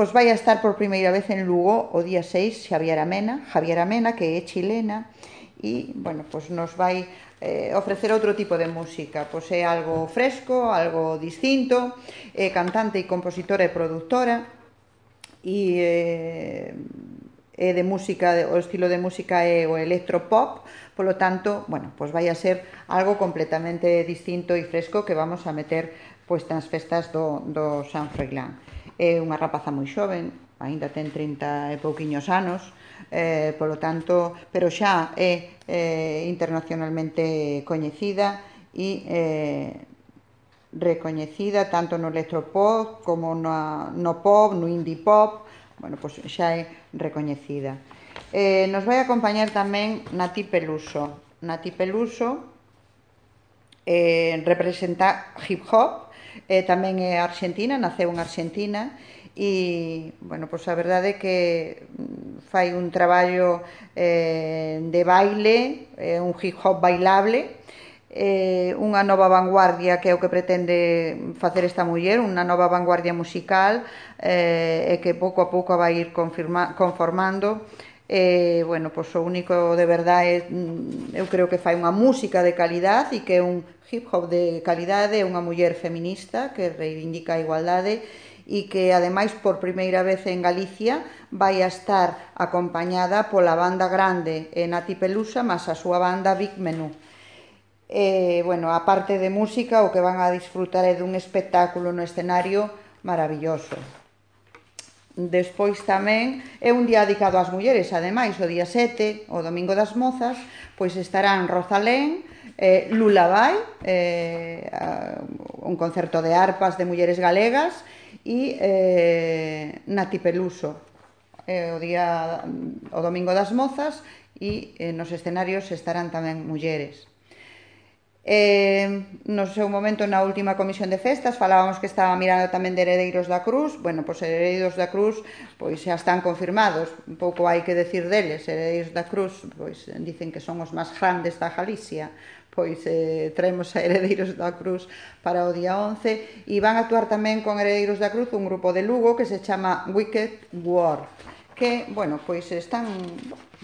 pois vai a estar por primeira vez en Lugo o día 6 Javier Amena, que é chilena, e, bueno, pois nos vai ofrecer outro tipo de música, pois é algo fresco, algo distinto, é cantante e compositora e produtora, e é de música, o estilo de música é o electropop, polo tanto, bueno, pois vai a ser algo completamente distinto e fresco que vamos a meter pois nas festas do San Froilán. É unha rapaza moi xoven, aínda ten 30 e pouquiños anos, polo tanto, pero xa é internacionalmente coñecida e recoñecida tanto no electropop como no pop, no indie pop, bueno, pois xa é recoñecida. Nos vai acompañar tamén Nati Peluso. Nati Peluso representa hip hop, tamén é argentina, naceu en Argentina, e, bueno, pois a verdade é que fai un traballo de baile, un hip hop bailable, unha nova vanguardia que é o que pretende facer esta muller, unha nova vanguardia musical, e que pouco a pouco vai ir conformando. Bueno, pois o único de verdade eu creo que fai unha música de calidad e que é un hip hop de calidade, unha muller feminista que reivindica a igualdade e que ademais por primeira vez en Galicia vai a estar acompañada pola banda grande Nati Peluso máis a súa banda Big Menú. Bueno, a parte de música, o que van a disfrutar é dun espectáculo no escenario maravilloso. Despois tamén é un día dedicado ás mulleres, ademais, o día 7, o Domingo das Mozas, pois estarán Rosalén, Lullaby, un concerto de arpas de mulleres galegas, e Nati Peluso, o Domingo das Mozas, e nos escenarios estarán tamén mulleres. No seu momento, na última comisión de festas, falábamos que estaba mirando tamén de Heredeiros da Cruz. Bueno, pois Heredeiros da Cruz pois xa están confirmados, un pouco hai que decir deles. Heredeiros da Cruz pois dicen que son os máis grandes da Galicia, pois traemos a Heredeiros da Cruz para o día 11, e van a actuar tamén con Heredeiros da Cruz un grupo de Lugo que se chama Wicked War, que, bueno, pois están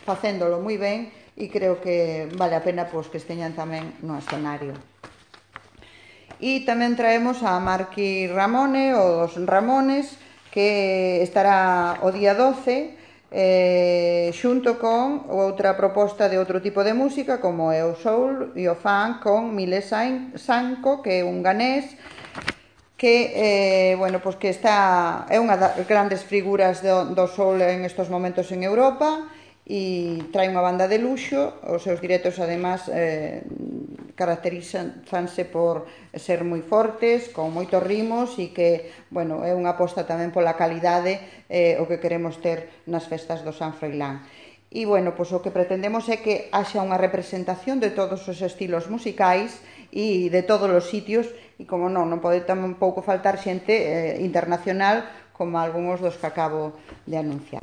facéndolo moi ben e creo que vale a pena pois que esteñan tamén no escenario. E tamén traemos a Marqui Ramone, os Ramones, que estará o día 12, xunto con outra proposta de outro tipo de música, como é o soul e o funk, con Mile Sanco, que é un ganés, que, bueno, pois que é unha das grandes figuras do soul en estos momentos en Europa, e trae unha banda de luxo. Os seus directos, además, caracterízanse por ser moi fortes, con moitos ritmos, e que, bueno, é unha aposta tamén pola calidade, o que queremos ter nas festas do San Froilán. E, bueno, pois o que pretendemos é que haxa unha representación de todos os estilos musicais e de todos os sitios, e, como non pode tampouco faltar xente internacional, como algúns dos que acabo de anunciar.